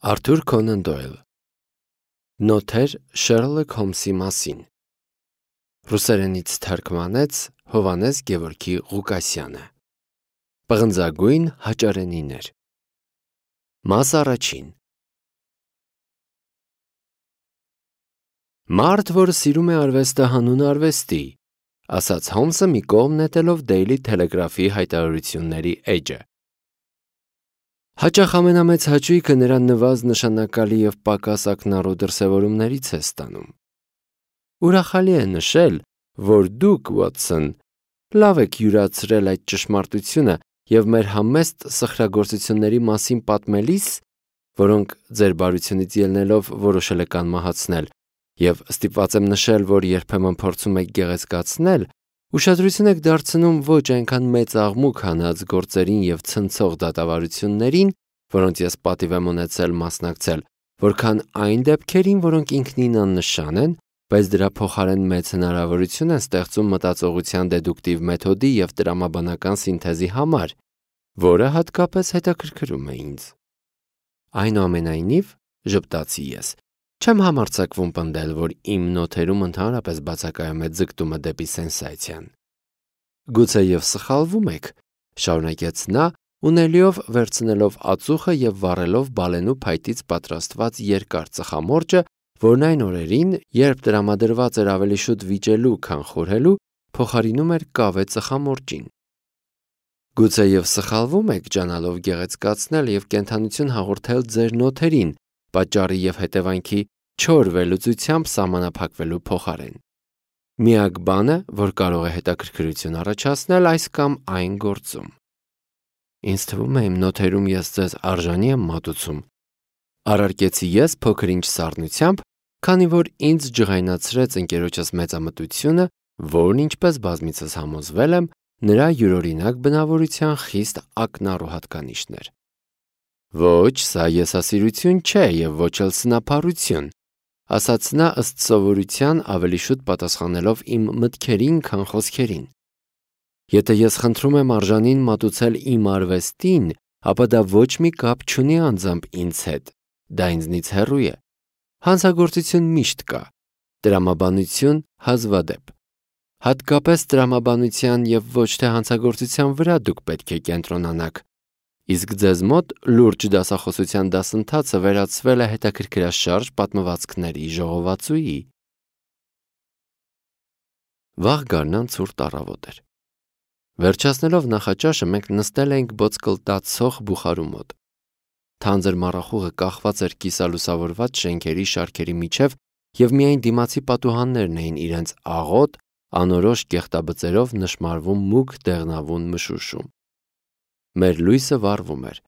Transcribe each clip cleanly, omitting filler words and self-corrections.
Արթուր Քոնան Դոյլ Նոթեր Շերլոք Հոլմսի մասին Ռուսերենից թարգմանեց Հովհաննես Գևորգի Ղուկասյանը Պղնձագույն հաճարենիներ Մաս առաջին Մարդ, որը սիրում է արվեստը հանուն արվեստի, ասաց Հոլմսը մի կողմ նետելով Daily Telegraph-ի հայտարարությունների էջը։ Հաճախ ամենամեծ հաճույքը նրան նվազ նշանակալի և պակաս ակնառու դրսևորումներից է ստանում։ Ուրախալի է նշել, որ դուք, Ուոտսոն, լավ եք յուրացրել այդ ճշմարտությունը և մեր համեստ սխրագործությունների մասին պատմելիս, որոնք ձեր բարությունից ելնելով որոշել եք անմահացնել, և ստիպված եմ նշել, որ երբեմն փորձում եք գեղեցկացնել, ուշադրություն եք դարձնում ոչ այնքան մեծ աղմուկ հանած գործերին և ցնցող դատավարություններին, որոնց ես պատիվ եմ ունեցել մասնակցել, որքան այն դեպքերին, որոնք ինքնին աննշան են, բայց դրա փոխարեն մեծ հնարավորություն են ստեղծում մտածողության դեդուկտիվ մեթոդի և տրամաբանական սինթեզի համար, որը հատկապես հետաքրքրում է ինձ։ Այնուամենայնիվ, ժպտացի ես, չեմ համարձակվում պնդել, որ իմ նոթերում ընդհանրապես բացակայում է ձգտումը դեպի սենսացիան։ Գուցեև սխալվում եք, շարունակեց նա, ունելիով վերցնելով ածուխը և վառելով բալենու փայտից պատրաստված երկար ծխամորճը, որն այն օրերին, երբ տրամադրված էր ավելի շուտ վիճելու, քան խորհելու, փոխարինում էր կավե ծխամորճին։ Գուցեև սխալվում եք ջանալով գեղեցկացնել և կենդանություն հաղորդել ձեր նոթերին, պատճառի և հետևանքի չոր վերլուծությամբ սահմանափակվելու փոխարեն։ Միակ բանը, որ կարող է հետաքրքրություն առաջացնել այս կամ այն գործում։ Ինձ թվում է իմ նոթերում ես ձեզ արժանի եմ մատուցում, առարկեցի ես փոքր-ինչ սառնությամբ, քանի որ ինձ ջղայնացրեց ընկերոջս մեծամտությունը, որն ինչպես բազմիցս համոզվել եմ, նրա յուրօրինակ բնավորության խիստ ակնառու հատկանիշն էր։ Ոչ, սա եսասիրություն չէ և ոչ էլ սնափառություն, ասաց նա ըստ սովորության ավելի շուտ պատասխանելով իմ մտքերին, քան խոսքերին։ Եթե ես խնդրում եմ արժանին մատուցել իմ արվեստին, ապա դա ոչ մի կապ չունի անձամբ ինձ հետ, դա ինձնից հեռու է։ Հանցագործություն միշտ կա, տրամաբանություն հազվադեպ։ Հատկապես տրամաբանության և ոչ թե հանցագործության վրա դուք պետք է կենտրոնանաք, իսկ ձեզ մոտ լուրջ դասախոսության դասընթացը վերածվել է հետաքրքրաշարժ պատմվածքների ժողովածուի։ Վաղ գարնան ցուրտ առավոտ էր։ Վերջացնելով նախաճաշը մենք նստել էինք ոսկլտացող բուխարու մոտ։ Թանձր մառախուղը կախված էր կիսալուսավորված շենքերի շարքերի միջև և միայն դիմացի պատուհաններն էին իրենց աղոտ, անորոշ կեղտաբծերով նշմարվում մուգ դեղնավուն մշուշում։ Մեր լույսը վառվում էր։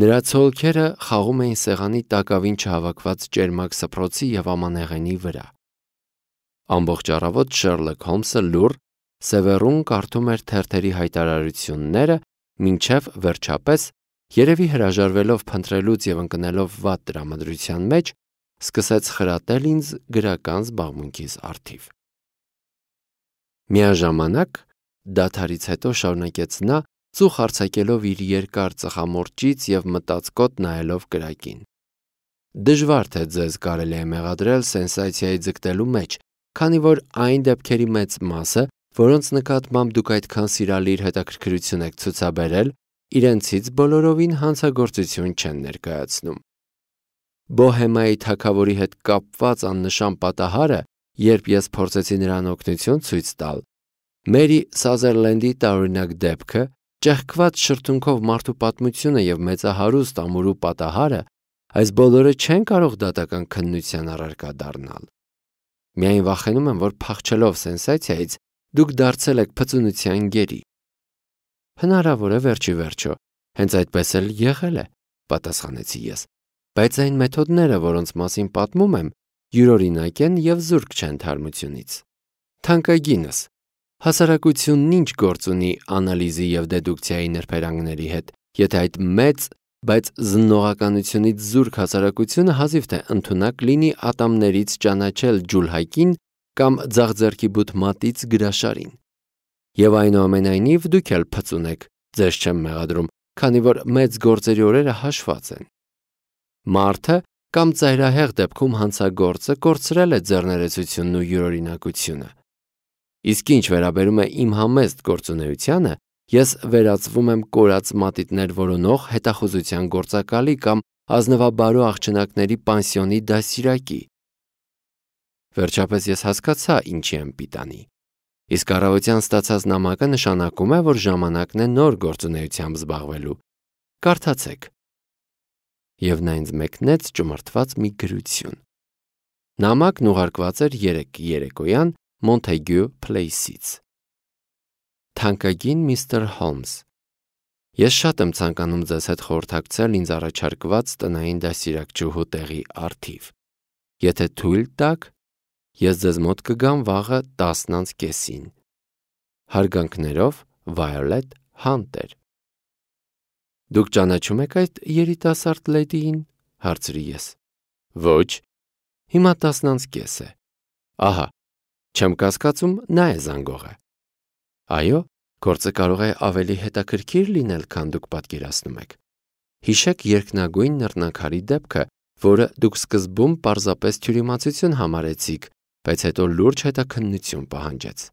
Նրա ցոլքերը խաղում էին սեղանի տակավին չհավաքված ճերմակ սփռոցի և ամանեղենի վրա։ Ամբողջ առավոտ Շերլոք Հոլմսը լուռ, սևեռուն կարդում էր թերթերի հայտարարությունները, մինչև վերջապես, երևի հրաժարվելով փնտրելուց և ընկնելով վատ տրամադրության մեջ, սկսեց խրատել ինձ գրական զբաղմունքիս առթիվ։ Միաժամանակ, դադարից հետո շարունակեց նա, ծուխ արձակելով իր երկար ծխամորճից և մտածկոտ նայելով կրակին։ Դժվար թե ձեզ կարելի է մեղադրել սենսացիայի ձգտելու մեջ, քանի որ այն դեպքերի մեծ մասը, որոնց նկատմամբ դուք այդքան սիրալիր հետաքրքրություն եք ցուցաբերել, իրենցից բոլորովին հանցագործություն չեն ներկայացնում։ Բոհեմայի թագավորի հետ կապված աննշան պատահարը, երբ ես փորձեցի նրան օգնություն ցույց տալ, Մերի Սազերլենդի տարօրինակ դեպքը, ճեղքված շրթունքով մարդու պատմությունը և մեծահարուստ ամուրու պատահարը, այս բոլորը չեն կարող դատական քննության առարկա դառնալ։ Միայն վախենում եմ, որ փախչելով սենսացիայից, դուք դարձել եք փծունության գերի։ Հնարավոր է վերջի վերջո, հենց այդպես էլ եղել է, պատասխանեցի ես, բայց այն մեթոդները, որոնց մասին պատմում եմ, յուրօրինակ են և զուրկ չեն թարմությունից։ Թանկագինս, հասարակությունն ինչ գործ ունի անալիզի և դեդուկցիայի նրբերանգների հետ, եթե այդ մեծ, բայց զննողականությունից զուրկ հասարակությունը հազիվ թե ընդունակ լինի ատամներից ճանաչել ջուլհակին կամ ձախ ձեռքի բութ մատից գրաշարին։ Եվ այնուամենայնիվ դուք էլ փծուն եք, ձեզ չեմ մեղադրում, քանի որ մեծ գործերի օրերը հաշված են։ Մարդը կամ ծայրահեղ դեպքում հանցագործը կորցրել է ձեռներեցությունն ու յուրօրինակությունը։ Իսկ ինչ վերաբերում է իմ համեստ գործունեությանը, ես վերածվում եմ կորած մատիտներ որոնող հետախուզության գործակալի կամ ազնվաբարո աղջնակների պանսիոնի դասիրակի։ Վերջապես ես հասկացա ինչի եմ պիտանի։ Իսկ առավոտյան ստացած նամակը նշանակում է, որ ժամանակն է նոր գործունեությամբ զբաղվելու։ Կարդացեք։ Եվ նա ինձ մեկնեց ճմրթված մի գրություն։ Նամակն ուղարկված էր 3 երեկոյան Montague Place-ից։ Թանկագին Միսթր Հոլմս, ես շատ եմ ցանկանում ձեզ հետ խորհրդակցել ինձ առաջարկված տնային դասիրակչուհու տեղի առթիվ։ Եթե թույլ տաք, ես ձեզ մոտ կգամ վաղը 10:30-ին։ Հարգանքներով Violet Hunter։ Դուք ճանաչում եք այդ երիտասարդ լեդիին, հարցրի ես։ Ոչ, հիմա 10:30 է։ Ահա, չեմ կասկածում, նա է զանգողը։ Այո, գործը կարող է ավելի հետաքրքիր լինել, քան դուք պատկերացնում եք։ Հիշեք երկնագույն նռնակարի դեպքը, որը դուք սկզբում պարզապես թյուրիմացություն համարեցիք, բայց հետո լուրջ հետաքննություն պահանջեց։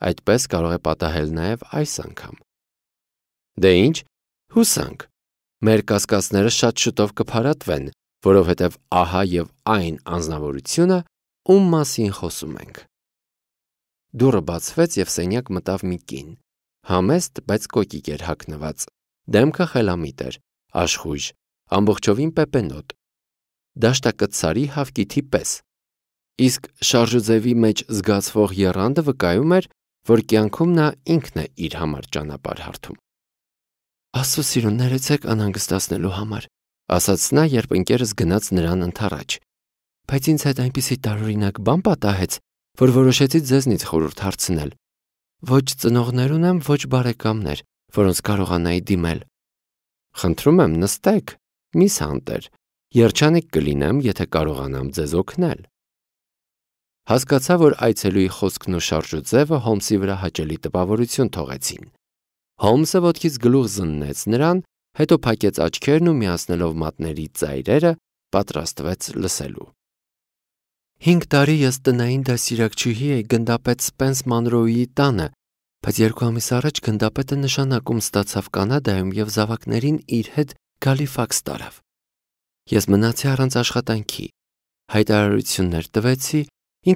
Այդպես կարող է պատահել նաև այս անգամ։ Դե ինչ, հուսանք, մեր կասկածները շատ շուտով կփարատվեն, որովհետև ահա եւ այն անձնավորությունը, ում մասին խոսում ենք։ Դուռը բացվեց եւ սենյակ մտավ մի կին, համեստ, բայց կոկիկ էր հագնված, դեմքը խելամիտ էր, աշխույժ, ամբողջովին պեպենոտ, դաշտակցարի հավկիթի պես, իսկ շարժուձևի մեջ զգացվող եռանդը վկայում էր, որ կյանքում նա ինքն է իր համար ճանապարհ հարթում։ Աստծո սիրուն, ներեցեք անհանգստացնելու համար, ասաց նա, երբ ընկերս գնաց նրան ընդառաջ, բայց ինձ հետ այնպիսի տարօրինակ բան պատահեց, որ որոշեցի ձեզնից խորհուրդ հարցնել։ Ոչ ծնողներ ունեմ, ոչ բարեկամներ, որոնց կարողանայի դիմել։ Խնդրում եմ, նստեք, միս Հանտեր, երջանիկ կլինեմ, եթե կարողանամ ձեզ օգնել։ Հասկացա, որ այցելուի խոսքն ու շարժուձևը Հոլմսի վրա հաճելի տպավորություն թողեցին։ Հոլմսը ոտքից գլուխ զննեց նրան, հետո փակեց աչքերն ու միացնելով մատների ծայրերը, պատրաստվեց լսելու։ 5 տարի ես տնային դասիրակչուհի էի գնդապետ Սպենս Մանրոուի տանը, բայց 2 ամիս առաջ գնդապետը նշանակում ստացավ Կանադայում եւ զավակներին իր հետ Գալիֆաքս տարավ։ Ես մնացի առանց աշխատանքի, հայտարարություններ տվեցի,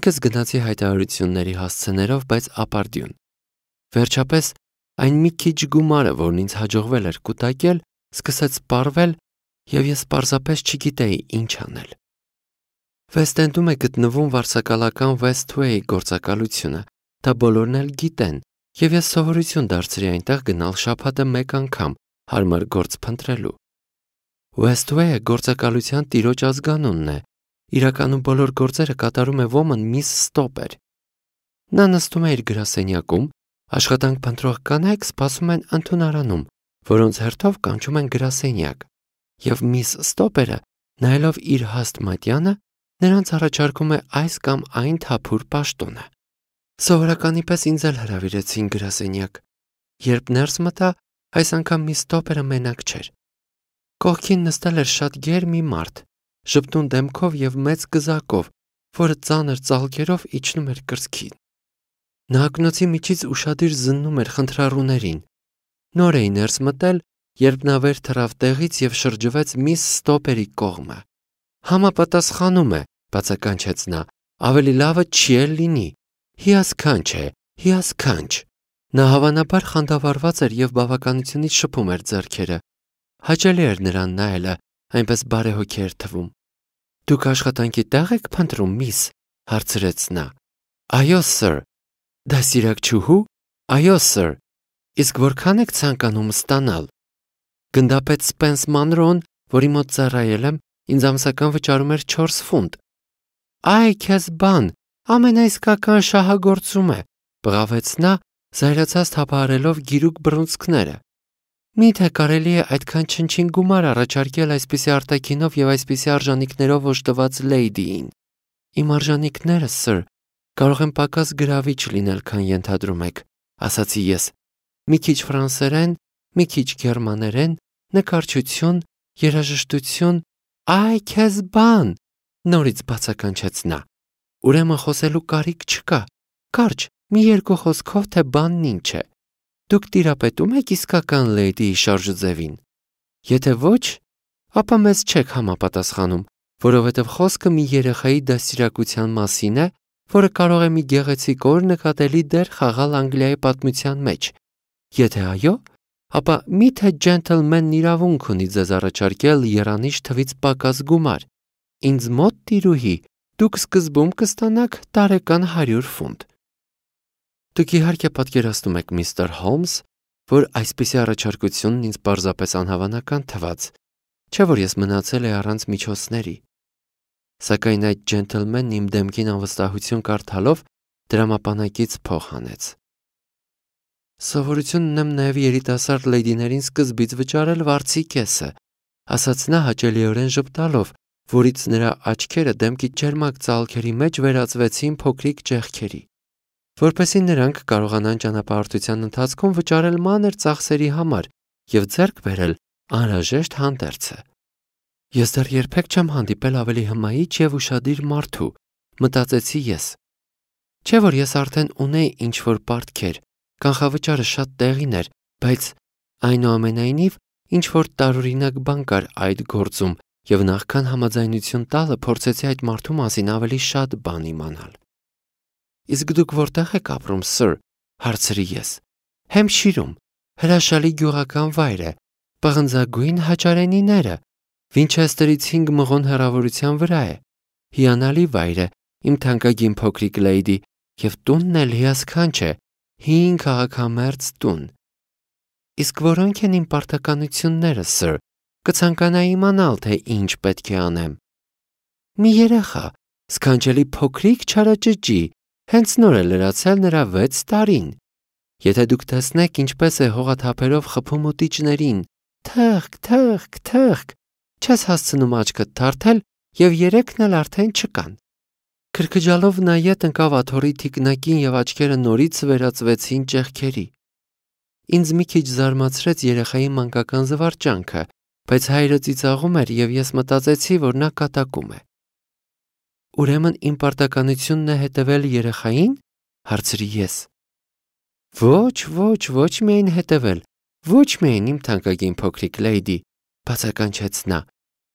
ինքս գնացի հայտարարությունների հասցեներով, բայց ապարդյուն։ Վերջապես այն մի քիչ գումարը, որն ինձ հաջողվել էր կուտակել, սկսեց սպառվել եւ ես պարզապես չգիտեի ինչ անել։ Վեսթ-Էնդում է գտնվում վարսակալական Westway գործակալությունը, դա բոլորն էլ գիտեն, եւ ես սովորություն դարձրի այնտեղ գնալ շաբաթը 1 անգամ, հարմար գործ փնտրելու։ Westway-ը գործակալության տիրոջ ազգանունն է, իրականում բոլոր գործերը կատարում է ոմն Miss Stopper։ Նա նստում է իր գրասենյակում, աշխատանք փնտրող կանայք սպասում են ընդունարանում, որոնց հերթով կանչում են գրասենյակ, եւ Miss Stopper-ը, նայելով իր հաստ մատյանը, նրանց առաջարկում է այս կամ այն թափուր պաշտոնը։ Սովորականի պես ինձ էլ հրավիրեցին գրասենյակ։ Երբ ներս մտա, այս անգամ Miss Stopper-ը մենակ չէր։ Կողքին նստել էր շատ գեր մի մարդ, ժպտուն դեմքով եւ մեծ գզակով, որը ծանր ծալքերով իջնում էր կրծքին։ Նա ակնոցի միջից ուշադիր զննում էր խնդրառուներին։ Նոր էի ներս մտել, երբ նա վեր թռավ տեղից եւ շրջվեց Miss Stopper-ի կողմը։ Համապատասխանում է, բացականչեց նա, ավելի լավը չի էլ լինի։ Հիասքանչ է, հիասքանչ։ Նա հավանաբար խանդավառված էր եւ բավականությունից շփում էր ձեռքերը։ Հաճելի էր նրան նայելը, այնպես բարեհոգի էր թվում։ Դուք աշխատանքի տեղ եք փնտրում, միս, հարցրեց նա։ Այո, sir։ Դասիրակչուհու։ Այո, sir։ Իսկ որքան եք ցանկանում ստանալ։ Գնդապետ Սպենս Մանրոն, որի մոտ ծառայել եմ, ինձ ամսական վճարում էր 4 ֆունտ։ Այ քեզ բան, ամենաիսկական շահագործում է, բղավեց նա, զայրացած թափահարելով գիրուկ բռունցքները։ Միթե կարելի է այդքան չնչին գումար առաջարկել այսպիսի արտաքինով եւ այսպիսի արժանինքներով օժտված լեյդիին։ Իմ արժանինքները, sir, կարող են պակաս գրավիչ լինել, քան ենթադրում եք, ասացի ես։ Մի քիչ ֆրանսերեն, մի քիչ գերմաներեն, նկարչություն, երաժշտություն, Այ քեզ բան, նորից բացականչեց նա։ Ուրեմն խոսելու կարիք չկա։ Կարճ, մի երկու խոսքով թե բանն ինչ է։ Դուք տիրապետում եք իսկական լեյդիի շարժուձևին։ Եթե ոչ, ապա մեզ չեք համապատասխանում, որովհետև խոսքը մի երեխայի դաստիարակության մասին է, որը կարող է մի գեղեցիկ օր նկատելի դեր խաղալ Անգլիայի պատմության մեջ։ Եթե այո, ապա միթե ջենթլմենն իրավունք ունի ձեզ առաջարկել եռանիշ թվից պակաս գումար։ Ինձ մոտ տիրուհի, դուք սկզբում կստանաք տարեկան 100 ֆունտ։ Դուք իհարկե պատկերացնում եք, միստր Հոլմս, որ այսպիսի առաջարկությունն ինձ պարզապես անհավանական թվաց, չէ՞ որ ես մնացել եմ առանց միջոցների։ Սակայն այդ ջենթլմենն իմ դեմքին անվստահություն կարդալով դրամապանակից փող հանեց։ Սովորություն ունեմ նաև երիտասարդ լեյդիներին սկզբից վճարել վարձի կեսը, ասաց նա հաճելիորեն ժպտալով, որից նրա աչքերը դեմքի ջերմակ ծալքերի մեջ վերածվեցին փոքրիկ ճեղքերի, որպեսզի նրանք կարողանան ճանապարհորդության ընթացքում վճարել մանր ծախսերի համար և ձեռք բերել անհրաժեշտ հանդերձը։ Ես դեռ երբեք չեմ հանդիպել ավելի հմայիչ և ուշադիր մարդու, մտածեցի ես։ Չէ՞ որ ես արդեն ունեի ինչ-որ պարտքեր, կանխավճարը շատ տեղին էր, բայց այնուամենայնիվ ինչ-որ տարօրինակ բան կար այդ գործում և նախքան համաձայնություն տալը փորձեցի այդ մարդու մասին ավելի շատ բան իմանալ։ Իսկ դուք որտե՞ղ եք ապրում, սըր, հարցրի ես։ Հեմփշիրում, հրաշալի գյուղական վայր է, պղնձագույն հաճարենիները, Վինչեսթերից 5 մղոն հեռավորության վրա է։ Հիանալի վայր է, իմ թանկագին փոքրիկ լեյդի, և տունն էլ հիասքանչ է, 5 քաղաքամերձ տուն։ Իսկ որոնք են իմ պարտականությունները, սըր, կցանկանայի իմանալ, թե ինչ պետք է անեմ։ Մի երեխա, սքանչելի փոքրիկ չարաճճի, հենց նոր է լրացել նրա 6 տարին։ Եթե դուք տեսնեք, ինչպես է հողաթափերով խփում ուտիչներին, թըղկ, թըղկ, թըղկ, չես հասցնում աչքդ թարթել և 3-ն էլ արդեն չկան։ Քրքջալով նա ետ ընկավ աթոռի թիկնակին և աչքերը նորից վերածվեցին ճեղքերի։ Ինձ մի քիչ զարմացրեց երեխայի մանկական զվարճանքը, բայց հայրը ծիծաղում էր և ես մտածեցի, որ նա կատակում է։ Ուրեմն իմ պարտականությունն է հետևել երեխային, հարցրի ես։ Ոչ միայն հետևել, ոչ միայն իմ թանկագին փոքրիկ լեյդի, բացականչեց նա։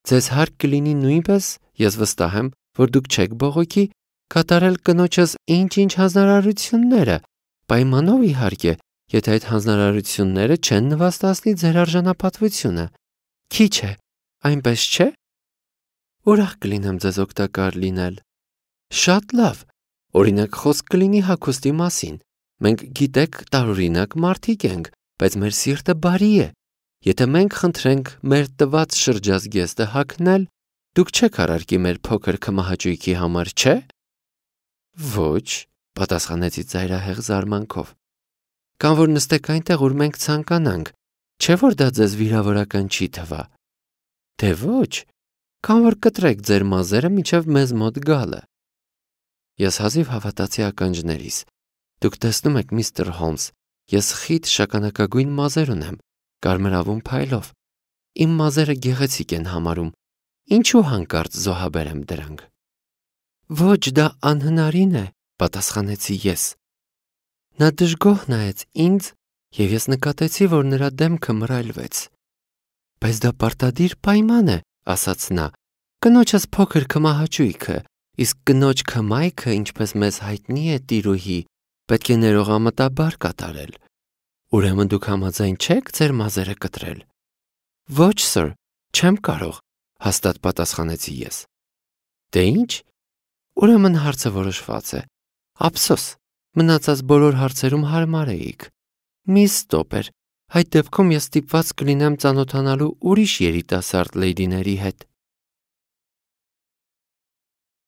Ձեզ հարկ կլինի նույնպես, ես վստահ եմ, որ դուք չեք բողոքի, կատարել կնոջս ինչ-ինչ հանձնարարությունները, պայմանով իհարկե, եթե այդ հանձնարարությունները չեն նվաստացնի ձեր արժանապատվությունը։ Քիչ է, այնպես չէ՞։ Ուրախ կլինեմ ձեզ օգտակար լինել։ Շատ լավ, օրինակ խոսք կլինի հագուստի մասին։ Մենք գիտեք տարօրինակ մարդիկ ենք, բայց մեր սիրտը բարի է։ Եթե մենք խնդրենք մեր տված շրջազգեստը հագնել, դուք չեք առարկի մեր փոքր քմահաճույքի համար, չէ՞։ Ոչ, պատասխանեցի ծայրահեղ զարմանքով։ Կամ որ նստեք այնտեղ, ուր մենք ցանկանանք, չէ՞ որ դա ձեզ վիրավորական չի թվա։ Դե ոչ, կամ որ կտրեք ձեր մազերը մինչև մեզ մոտ գալը։ Ես հազիվ հավատացի ականջներիս։ Դուք տեսնում եք, միստր Հոլմս, ես խիտ շագանակագույն մազեր ունեմ, կարմրավուն փայլով։ Իմ մազերը գեղեցիկ են համարում։ Ինչու հանկարծ զոհաբերեմ դրանք։ Ոչ, դա անհնարին է, պատասխանեցի ես։ Նա դժգոհ նայեց ինձ, և ես նկատեցի, որ նրա դեմքը մռայլվեց։ Բայց դա պարտադիր պայման է, ասաց նա։ Կնոջս փոքր քմահաճույքը, իսկ կնոջ քմայքը, ինչպես մեզ հայտնի է, տիրուհի, պետք է ներողամտաբար կատարել։ Ուրեմն դուք համաձայն չեք ձեր մազերը կտրել։ Ոչ, սըր, չեմ կարող, հաստատ պատասխանեցի ես։ Դե ինչ։ Ուրեմն հարցը որոշված է։ Ափսոս, մնացած բոլոր հարցերում հարմար էիք։ Մի ստոպեր, այդ դեպքում ես ստիպված կլինեմ ծանոթանալու ուրիշ երիտասարդ լեյդիների հետ։